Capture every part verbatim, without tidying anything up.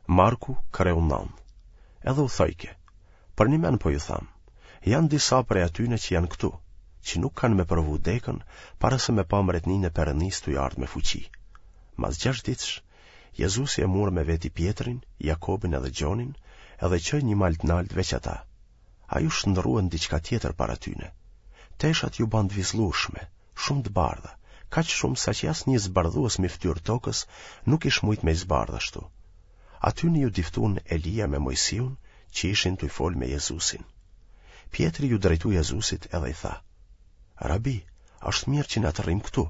Marku, kreu nëntë. Edhe u thojke, përnjëmend po ju tham, janë disa prej atyne që janë këtu, që nuk kanë me provu dekën para se me pa mbretninë e Perëndisë tuj ardhë me fuqi. Mas gjashtë ditësh, Jezusi e mur me veti Pjetrin, Jakobin edhe Gjonin, edhe çoi një mal të naltë veç ata. Ai u shndërrua në diçka tjetër para tyne. Teshat iu banë të vizllushme, shumë të bardha, kaq shumë saqë asnjë zbardhues mi fytyrë tokës nuk ish mujt me i zbardh ashtu. Atyne iu diftun Elia me Mojsiun që ishin tuj fol me Jezusin. Pjetri iu drejtu Jezusit edhe i tha: Rabi, është mirë që na të rrim këtu.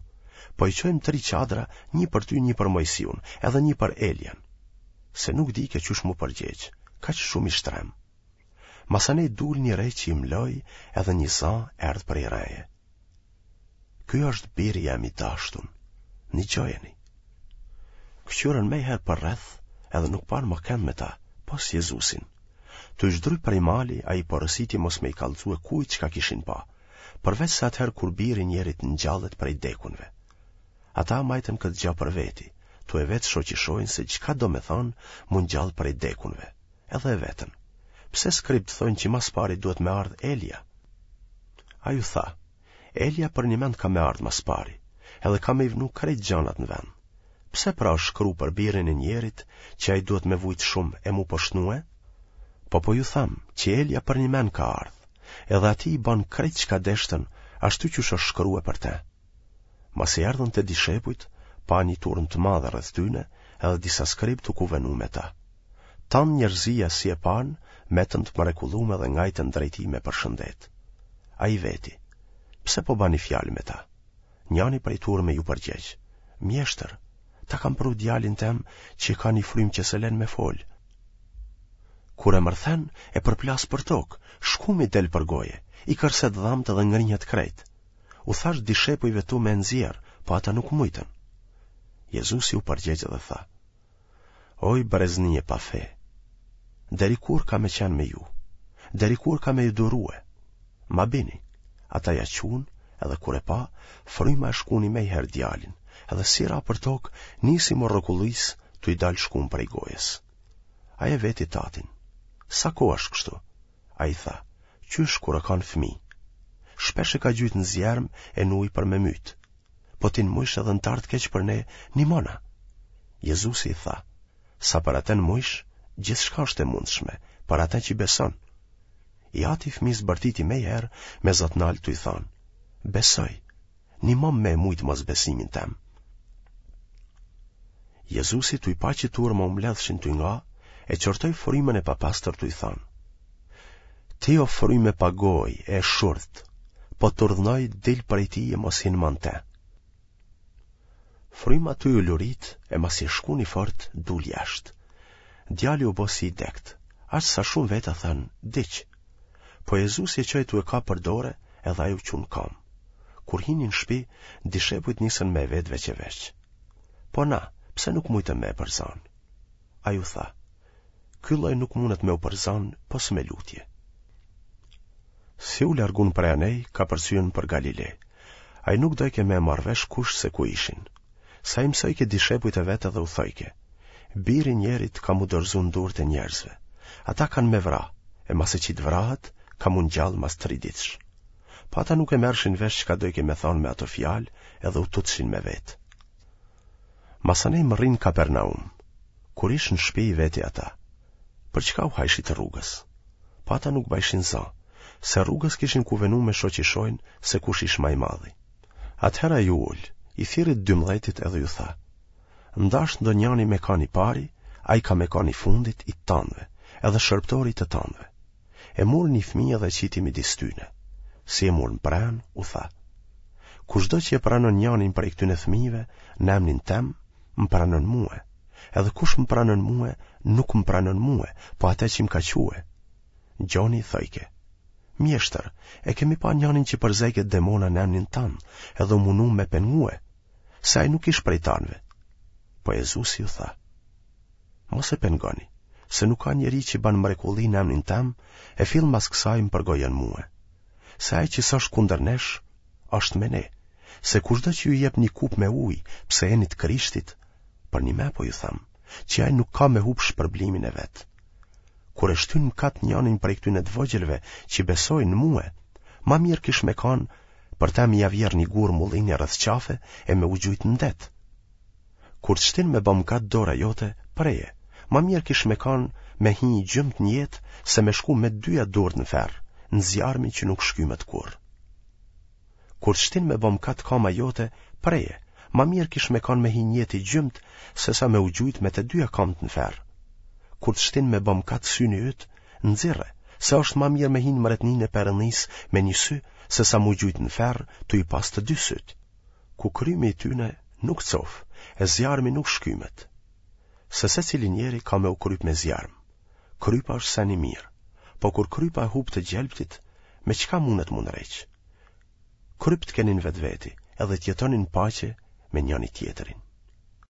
Po i çojmë tri çadra, një për ty, një për Mojsiun, edhe një për Elian. Se nuk dike qysh m'u përgjegj, kaq shumë ish trem. Masanej dul një re që i mloi edhe një za erdh prej reje. Ky është biri jem i dashtun, nigjojeni. Këqyrën mejherë përreth edhe nuk panë ma kend me ta, pos Jezusin. Tuj zdryp prej mali, ai porositi mos me i kallxue kujt çka kishin pa, përveç se atëherë kur biri i njerit ngjallet prej dekunve. Ata majtën këtë gja për veti, tu e vetë shoqishoin se çka do me thonë m'u ngjall prej dekunve. Edhe e vetën. Pse skribt thonë që mas pari duhet me ardhë Elia? Ai u tha, Elia përnjëmend ka me ardhë mas pari, edhe ka me i vnu krejt gjanat në vend. Pse pra është shkru për birin e njerit që ai duhet me vujt shumë e m'u poshtnue? Po po ju tham që Elia përnjëmend ka ardhë, edhe atij i ban krejt çka deshtën, ashtu qysh është shkrue për te. Masi erdhën te dishepujt, pa një turmë të madhe rreth tyne, edhe disa skrib tu kuvenu me ta. Tanë njerëzia si e panë, metën të mrekullume dhe ngajtën drejt tij me përshëndet. Ai i veti, pse po bani fjalë me ta? Njani prej turme iu përgjegj, mjeshtër, ta kam pru djalin tem që ka një frymë që s'e len me fol. Kur e mërthen, e përplas për tokë, shkumi del për goje, i kërset dhamt dhe ngrihet krejt. U thash dishepujve tu me nxjerr, po ata nuk mujtën. Jezusi u përgjegj dhe tha, Oj brezni e pa fe, deri kur ka me qenë me ju, deri kur ka me ju durue, ma bini, ata ja qunë, edhe kur e pa, fryma e shkuni mejherë djalin, edhe si ra për tokë, nisi m'u rrokullis, tu i dalë shkum prej gojës. Ai e veti tatin, sa kohë është kështu? Ai tha, qysh kur o kanë fëmi. Shpesh e ka gjujt në zjerm e në ujë për me myt. Po ti në mujsh edhe në t'ardht keq për ne, nimona. Jezusi i tha, sa për atë në mujsh, gjithçka është e mundshme, për atë që beson. I ati i fëmisë bërtiti mejherë me za t'naltë tuj thonë, besoj, nimom me e mujtë mosbesimin tem. Jezusi tuj pa që turma u mbledhshin tuj nga, e qortoi frymën e papastër tuj thonë, ti o frymë e pagojë e shurdht, po t'urdhnoj dil prej tij e mos hin ma n'te. Fryma tuj u lurit e masi e shkuni fort dul jashtë. Djali u bo si i dekt, aq sa shumë veta thanë, diq. Po Jezusi e çoi tu e kap për dore edhe ai u çu n'kamë. Kur hini në shpi, dishepujt nisën me e vet veç e veç. Po na, pse nuk mujtëm me e përzanë? Ai u tha, ky lloj nuk mundet me u përzanë pos me lutje. Si u largun prej anej, kapërcyen për Galile. Ai nuk dojke me e marrë vesh kush se ku ishin. Sa i mësojke dishepujt e vet edhe u thojke, biri i njerit ka m'u dorëzu në durët e njerëzve. Ata kanë me vra, e masi që të vrahet, ka m'u ngjall mas tri ditësh. Po ata nuk e merrshin vesh çka dojke me thonë me ato fjalë edhe u tutshin me vetë. Masanej mërrinë Kapernaum. Kur ish në shpi i veti ata, për çka u hajshit rrugës? Po ata nuk bajshin za, se rrugës kishin kuvenu me shoqishojnë se kush ish ma i madhi. Atëherë ai u ul, i thirri të dymdhetit edhe ju tha, n'dashtë ndonjani me kanë i pari, ai ka me kanë i fundit i të tanëve, edhe shërbëtori i të tanëve. E mur një fëmijë dhe e qiti midis tyne. Si e mur në pranë, u tha, kushdo që e pranon njanin prej këtyne fëmijëve në emnin tem, më pranon mue. Edhe kush më pranon mue, nuk më pranon mue, po atë që më ka çue. Gjoni i thojke, mjeshtër, e kemi pa njanin që përzejke demona në emnin tand, edhe u munu me pengue, se ai nuk ish prej tanëve. Po Jezusi ju tha, mos e pengoni, se nuk ka njeri që ban mrekulli në emnin tem, e fill mas kësaj më përgojon mue. Se ai që s'është kundër nesh, është me ne. Se kushdo që ju jep një kupë me ujë, pse jeni të Krishtit, përnjëmend po ju them, që ai nuk ka me hup shpërblimin e vet. Kur e shtyn n'mëkat njanin prej këtyne të vogjëlve që besojnë në mue, ma mirë kish me kanë për ta me ia vjerrë një gur mullini rreth qafe e me u gjujt në det. Kur të shtin me ba mëkat dora jote, preje, ma mirë kish me kanë me hi i gjymtë në jetë se me shku me dyja durt në ferr, në zjarmin që nuk shkymet kurrë. Kur të shtin me ba mëkat kama jote, preje, ma mirë kish me kanë me hi n'jetë i gjymtë se sa me u gjujt me të dyja kamët në ferr. Kur të shtin me ba mëkat syni yt, nxirre, se është ma mirë me hi në mretninë e Perëndisë me një sy se sa m'u gjujt në ferr tu i pas të dy sytë. Ku krymi i tyne nuk cof, e zjarmi nuk shkymet. Se secili njeri ka me u kryp me zjarm. Krypa është sen i mirë, po kur krypa e hup të gjelbtit, me çka mundet m'u ndreq? Kryp të keni në vetveti, edhe të jetoni në paqe me njëri tjetrin.